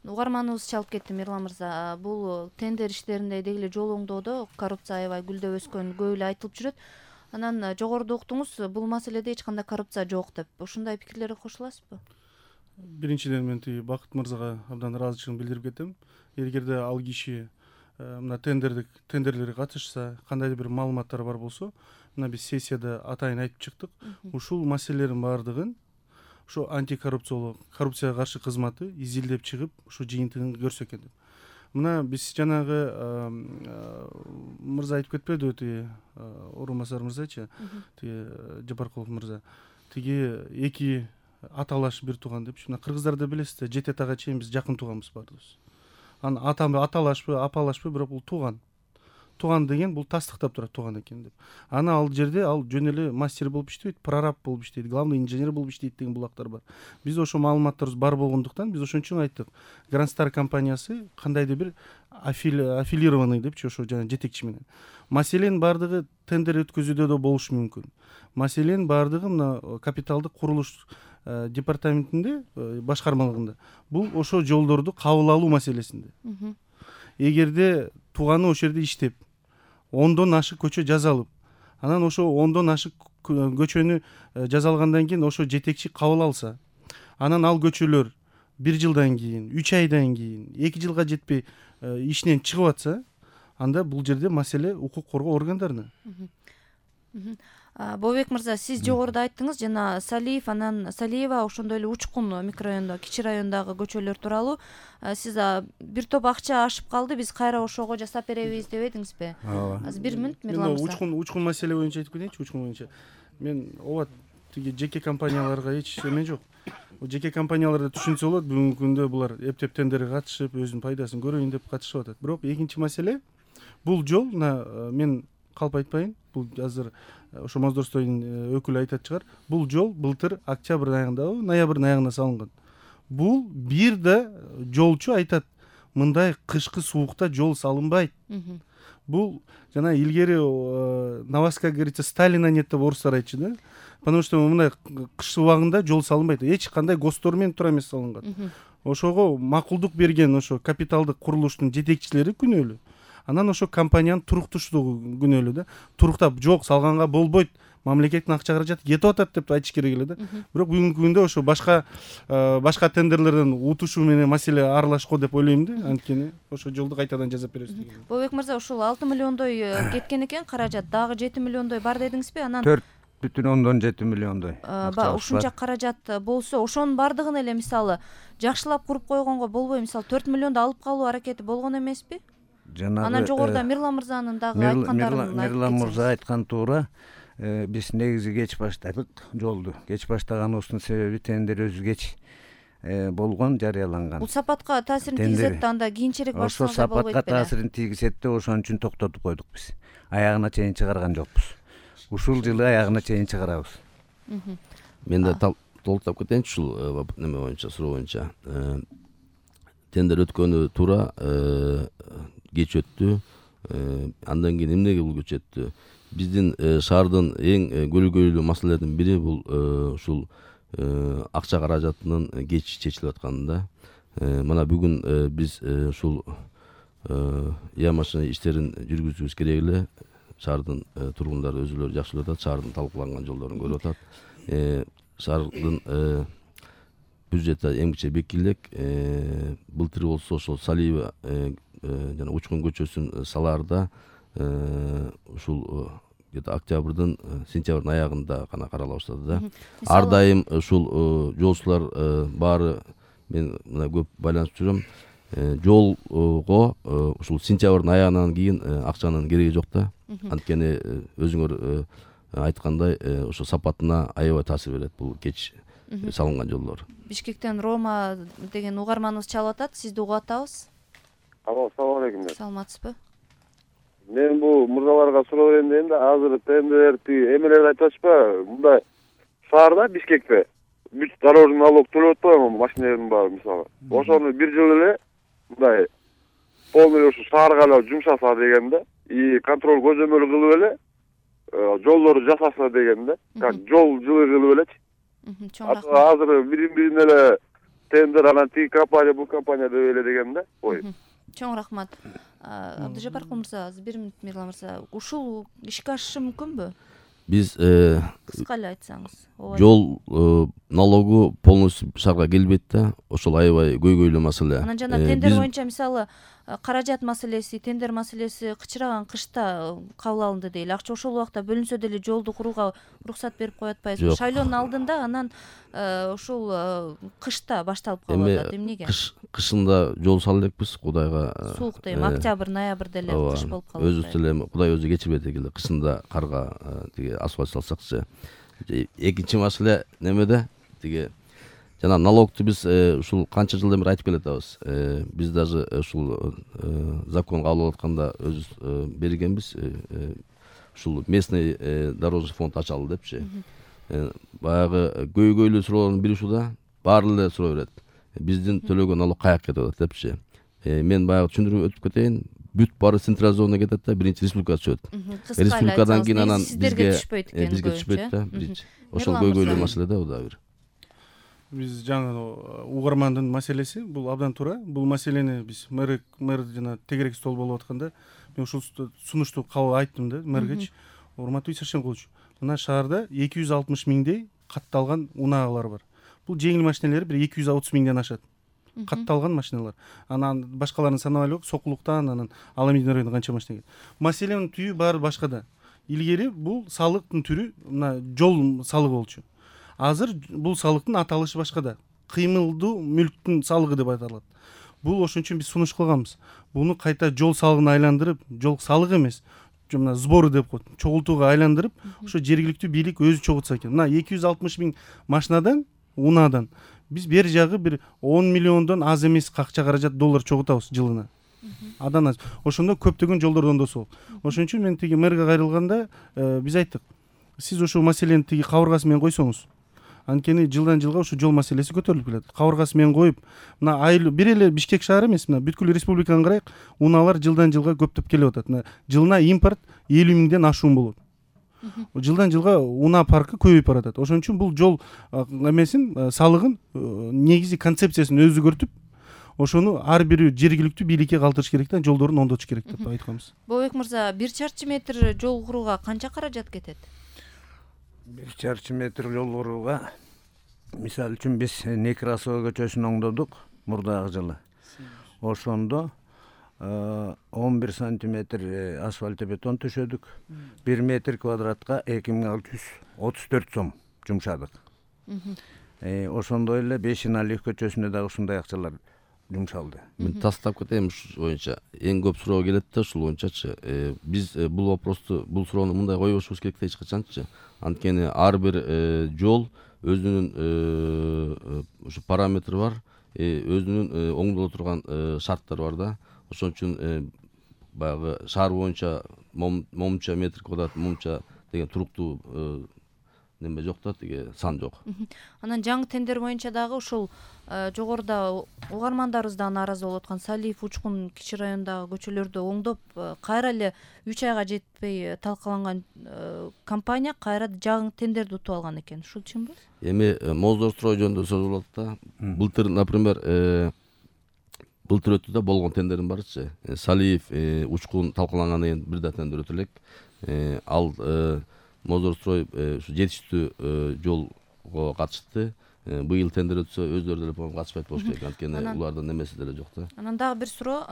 Угарманыбыз чалып кетти Мирлан мырза. Бул тендер иштеринде деги эле жол оңдоодо коррупция аябай гүлдөп өскөн көп эле айтылып жүрөт. Анан жогоруда уктуңуз, бул маселеде эч кандай коррупция жок деп. Ушундай пикирлерге кошуласызбы? Биринчиден мен Бакыт мырзага абдан ыраазычылыгымды билдирип кетем. Эгерде ал киши мына тендерлерге катышса, кандайдыр бир маалыматтар бар болсо, мына биз сессияда атайын айтып чыктык. Ушул маселелердин баардыгын ошо коррупцияга каршы кызматы изилдеп чыгып, ушу жыйынтыгын көрсө экен деп. Мына биз жанагы мырза айтып кетпедиби, тиги орун басар мырзачы, тиги Жапаркулов мырза, тиги эки аталаш бир тууган деп. Мына кыргыздарда билесиз, жетет ага чейин биз жакын тууганбыз баарыбыз. Анан аталашпы, апалашпы, бирок бул тууган. Тууган деген бул тастыктап турат тууган экен деп. Аны ал жерде ал жөн эле мастер болуп иштебейт, прораб болуп иштейт, главный инженер болуп иштейт деген булактар бар. Биз ошо маалыматтарыбыз бар болгондуктан биз ошон үчүн айттык. Grand Star компаниясы кандайдыр бир аффилированный депчи, ошо жана жетекчи менен. Маселенин баардыгы тендер өткөзүүдө да болушу мүмкүн. Маселенин баардыгы мына капиталдык курулуш департаментинде, башкармалыгында. Бул ошо жолдорду кабыл алуу маселесинде. Эгерде тууганы ошол жерде иштеп, 10дон ашык көчө жазалып, анан ошо 10дон ашык көчөнү жазалгандан кийин ошо жетекчи кабыл алса, анан ал көчөлөр 1 жылдан кийин, 3 айдан кийин, 2 жылга жетпей ишинен чыгып атса, анда бул жерде маселе укук коргоо органдарына. Бобек мырза, сиз жогоруда айттыңыз, жана Салиев, анан Салиева, ошондой эле Учкун микрорайондо, кичи райондогу көчөлөр тууралуу сиз бир топ акча ашып калды, биз кайра ошого жасап беребиз деп эдиңизби? Азыр 1 мүнөт Мирлан мырза. Учкун маселе боюнча айтып кетейинчи, Учкун боюнча. Мен ооба тиги жеке компанияларга эч эме жок. Жеке компанияларда түшүнсө болот, бүгүнкү күндө булар эптеп тендерге катышып, өзүнүн пайдасын көрөйүн деп катышып атат. Бирок экинчи маселе, бул жол, мен калп айтпайын, бул азыр ошо Моздорстойдун өкүлү айтат чыгар. Бул жол былтыр октябрь айында, ноябрь айында салынган. Бул бир да жолчу айтат, мындай кышкы суукта жол салынбайт. Бул жана илгери Новаска, как говорится, Сталина нет деп орустар айтчу да. Потому что мындай кыш убагында жол салынбайт. Эч кандай гостор менен туура эмес салынган. Ошого макулдук берген ошо капиталдык курулуштун жетекчилери күнөөлүү. Анан ошо компаниянын туруктуштугу күнөөлүү да. Туруктап жок салганга болбойт, мамлекеттин акча каражаты кетип атат деп айтыш керек эле да. Бирок бүгүнкү күндө ошо башка тендерлерден утушуу менен маселе аралашко деп ойлойм да. Анткени ошо жолду кайтадан жасап беребиз деген. Бобек мырза, ушул 6 миллиондой кеткен экен каражат, дагы 7 миллиондой бар дедиңизби? Анан 4,7 миллиондой. Ушунча каражат болсо, ошонун бардыгын эле мисалы жакшылап куруп койгонго болбой, мисалы 4 миллионду алып калуу аракети болгон эмеспи? Анан жогоруда Мирлан мырзанын дагы айткандарын айтып кетсеңиз. Мирлан мырза айткан туура. Биз негизи кеч баштадык жолду. Кеч баштаганыбыздын себеби тендер өзү кеч болгон, жарыяланган. Бул сапатка таасирин тийгизет да, анда кийинчерээк баштасаңыз болбойт беле? Ошо сапатка таасирин тийгизет да, ошон үчүн токтотуп койдук биз. Аягына чейин чыгарган жокпуз. Ушул жылы аягына чейин чыгарабыз. Мен да толуктап кетейинчи ушул неме боюнча, суроо боюнча. Тендер өткөнү туура, кеч өттү. Андан кийин эмнеге бул кеч өттү? Биздин шаардын эң көлгөйлүү маселелердин бири бул ушул акча каражатынын кеч чечилип атканында. Мына бүгүн биз ушул машина иштерин жүргүзүүбүз керек эле. Шаардын тургундары өзүлөрү жакшы көрүп атат, шаардын талкууланган жолдорун көрүп атат. Шаардын бюджети эмгиче бекилек. Былтыр болсо ошол Салиева жана Учкун көчөсүн салаарда ушул где-то октябрдын, сентябрдын аягында гана карала баштады да. Ар дайым ушул жолчулар баары, мен мына көп байланышып жүрөм. Жолго ушул сентябрдын аягынан кийин акчанын кереги жок да. Анткени өзүңөр айткандай ошо сапатына аябай таасир берет бул кеч салынган жолдор. Бишкектен Рома деген угарманыбыз чалып атат, сизди угуп атабыз. Assalomu alaykum. Саламатсызбы? Men bu murdalarga суроо берейин дейм да, азыр тендерди эмелерди айтып атышпа, мындай шаарда Бишкекте бүт дорожный налог төлөп атпайбы машиналардын баары мисалы. Ошону бир жыл эле мындай полный ушу шаарга эле жумшаса дегенде, и контроль көзөмөл кылып эле жолдорду жасаса дегенде, как жол жылы кылып элечи. Азыр бирин эле тендер анан тиги компания бул компания деп эле деген да. Ой. Чоң рахмат. Абдыжапаркул мырза, азыр 1 мүнөт Мирлан мырза, ушул ишке ашышы мүмкүнбү? Биз Кыска эле айтсаңыз. жол налогу полностью шаарга келбейт да, ошол аябай көйгөйлүү маселе. Анан жана тендер боюнча мисалы каражат маселеси, тендер маселеси кычыраган кышта кабыл алынды дейли. Акча ошол убакта бөлүнсө деле жолду курууга уруксат берип коюп атпайсызбы? Шайлоонун алдында анан ушул кышта башталып калып атат. Эмнеге? Кышында жол сала элекпиз, Кудайга. Суук дейм, октябрь, ноябрда эле кыш болуп калат. Өзүбүз деле Кудай өзү кечирбейт экенде, кышында карга тиги асфальт салсакчы. Экинчи маселе немеде? Тиги жана налогту биз ушул канча жылдан бери айтып келатабыз. Биз даже ушул закон кабыл алып атканда өзүбүз бергенбиз. Ушул местный дорожный фонд ачалы депчи. Баягы көйгөйлүү суроолордун бири ушуда, баары эле суроо берет. Биздин төлөгөн налог каяка кетип атат депчи. Мен баягы түшүндүрүп өтүп кетейин. Бүт баары централизованно кетет да, биринчи республикага түшөт. Республикадан кийин анан бизге түшпөйт да, биринчи. Ошол көйгөйлүү маселе да, бул да бир. Биз жаңы угармандын маселеси бул абдан туура. Бул маселени биз мэр жана тегерек стол болуп атканда мен ушул сунушту кабыл айттым да мэргечи. Урматтуу Исершенкулович, мына шаарда 260 миңдей катталган унаагалар бар. Бул жеңил машиналер бир 230 миңден ашат. Катталган машиналар. Анан башкаларын санап элек, Сокулуктан, анан Аламедин районунда канча машина келет. Маселенин түйү баары башкада. Илгери бул салыктын түрү мына жол салыгы болчу. Азыр бул салыктын аталышы башкада. Кыймылдуу мүлктүн салыгы деп аталат. Бул ошон үчүн биз сунуш кылганбыз. Буну кайта жол салыгына айландырып, жол салыгы эмес, мына сбору деп коет, чогултууга айландырып, ошо жергиликтүү бийлик өзү чогултса экен. Мына 260 миң машинадан, унаадан биз бери жагы бир 10 миллиондон аз эмес акча каражат доллар чогултабыз жылына. Адан аз. Ошондо көптөгөн жолдор оңдосо. Ошон үчүн мен тиги мэрге кайрылганда биз айттык. Сиз ошол маселени тиги кабыргасы менен койсоңуз, анткени жылдан жылга ушу жол маселеси көтөрүлүп келет. Кабыргасы менен коюп, мына айлы бир эле Бишкек шаары эмес, мына бүткүл республиканы карайык, унаалар жылдан жылга көптөп келип атат. Мына жылына импорт 50 миңден ашуун болот. Жылдан жылга унаа паркы көбөйүп баратат. Ошон үчүн бул жол эмесин, салыгын негизи концепциясын өзгөртүп, ошону ар бир жергиликтүү бийликке калтырыш керек да, жолдорун оңдотуш керек деп айтканбыз. Бобек мырза, 1 чарчы метр жол курууга канча каражат кетет? 1 чарчы метр жол курууга мисалы үчүн биз Некрасова көчөсүн оңдодук мурдагы жылы. Ошондо 11 сантиметр асфальт бетон төшөдүк. 1 метр квадратка 2634 сом жумшадык. Ошондой эле Бешиналиев көчөсүнө дагы ушундай акчалар жумшалды. Мен тастап кетем ушул боюнча. Эң көп суроо келет да ушул боюнчачы. Биз бул вопросту, бул суроону мындай койбошубуз керек да эч качанчы. Анткени ар бир жол өзүнүн ушу параметри бар, өзүнүн оңдоло турган шарттары бар да. Ошон үчүн баягы шаар боюнча момча метр квадрат момча деген туруктуу неме жок да, тиги сан жок. Анан жаңы тендер боюнча дагы ушул жогоруда угармандарыбыз да нааразы болуп аткан Салиев, Учкун, Кичи районундагы көчөлөрдү оңдоп, кайра эле 3 айга жетпей талкаланган компания кайра жаңы тендерди утуп алган экен. Ушул чынбы? Эми Моздорстрой жөнүндө сөз болуп атат да. Былтыр, например, былтыр өттү да, болгон тендердин барычы. Салиев, Учкун талкалангандан кийин бир да тендер өтө элек. Ал Моздорстрой ушу жетиштүү жолго катышты. Быйыл тендер өтсө өздөрү деле по-моему катышпайт болуш керек, анткени улардын немеси деле жок да. Анан дагы бир суроо,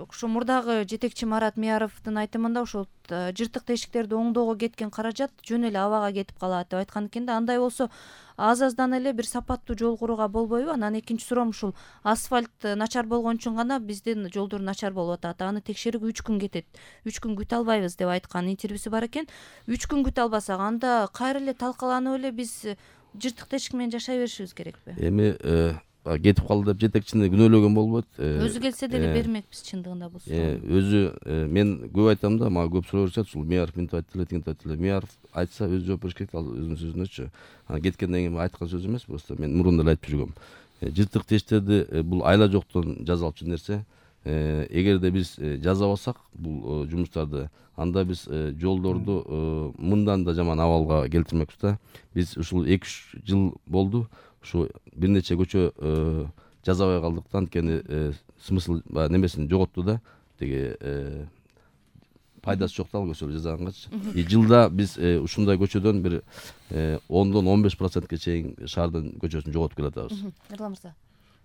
ошо мурдагы жетекчи Марат Мияровдун айтымында ошол жыртык тешиктерди оңдоого кеткен каражат жөн эле абага кетип калат деп айткан экен да. Андай болсо аз-аздан эле бир сапаттуу жол курууга болбойбу? Анан экинчи суроом, ушул асфальт начар болгон үчүн гана биздин жолдор начар болуп атат. Аны текшерүүгө 3 күн кетет. 3 күн күтө албайбыз деп айткан интервьюсу бар экен. 3 күн күтө албасак, анда кайра эле талкаланып эле биз жыртык тешик менен жашай беришибиз керекпи? Эми кетип калды деп жетекчини күнөөлөгөн болбойт. Өзү келсе деле бермекпиз чындыгында болсо. Өзү мен көп айтам да, мага көп суроо беришет, ушул Мияров мынтип айтты эле, тигинтип айтты эле. Мияров айтса өзү жооп бериш керек, ал өзүнүн сөзүнөчү. Анан кеткенден кийин айткан сөз эмес, просто мен мурунда эле айтып жүргөм. Жыртык тешиктерди бул айла жоктон жазалчу нерсе. Эгерде биз жазабасак бул жумуштарды, анда биз жолдорду мындан да жаман абалга келтирмекпиз да. Биз ушул 2-3 жыл болду. ушу бир нече көчө жасабай калдыктан анткени смысл баягы немесин жоготту да, тиги пайдасы жок да ал көчөлөрдү жасагангач. Жылда биз ушундай көчөдөн бир 10-15%ке чейин шаардын көчөсүн жоготуп келатабыз. Эрлан мырза.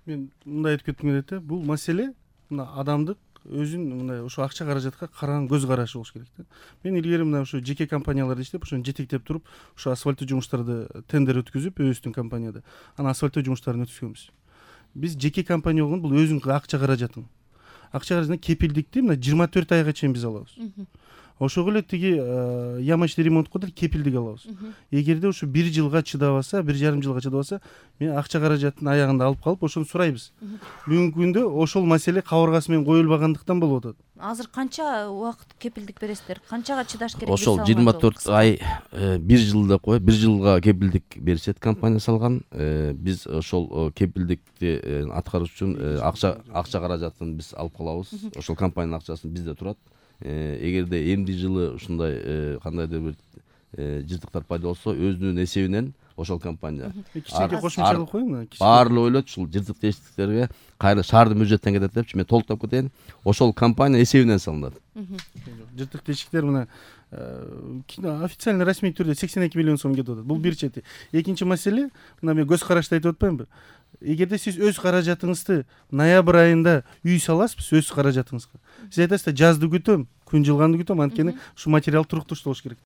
Мен мындай айтып кетким келет да, бул маселе мына адамдык өзүнүн мындай ошо акча каражатка караган көз карашы болуш керек да. Мен илгери мына ошо жеке компанияларда иштеп, ошону жетектеп туруп, ошо асфальттоо жумуштарды тендер өткүзүп, өзүбүздүн компанияда анан асфальттоо жумуштарын өткүзгөнбүз. Биз жеке компания болгон бул өзүнүн акча каражатын. Акча каражатына кепилдикти мына 24 айга чейин биз алабыз. Ошого эле тиги ямочный ремонтко да кепилдик алабыз. Эгерде ушу 1 жылга чыдабаса, 1,5 жылга чыдабаса, мен акча каражатын аягында алып калып, ошону сурайбыз. Бүгүнкү күндө ошол маселе кабыргасы менен коюлбагандыктан болуп атат. Азыр канча убакыт кепилдик бересиздер? Канчага чыдаш керек? Ошол 24 ай 1 жыл деп коет, 1 жылга кепилдик беришет компания салган. Биз ошол кепилдикти аткарыш үчүн акча каражатын биз алып калабыз. Ошол компаниянын акчасы бизде турат. Эгерде эмди жылы ушундай кандайдыр бир жыртыктар пайда болсо, өзүнүн эсебинен ошол компания кичинекей кошумчалык коеюн. Баарлап ойлойт, ушул жыртык тешиктиктерге кайра шаардын бюджеттен кетет депчи, мен толуктап кетейин. Ошол компания эсебинен салынат. Жыртык тешиктер мына официально расмий түрдө 82 миллион сом кетип атат. Бул бир чети. Экинчи маселе, мына мен көз карашты айтып атпаймынбы? Эгерде сиз өз каражатыңызды ноябрь айында үй саласызбыз өз каражатыңызга. Сиз айтасыз да жазды күтөм, күн жылганды күтөм, анткени ушу материал туруктуш болуш керек.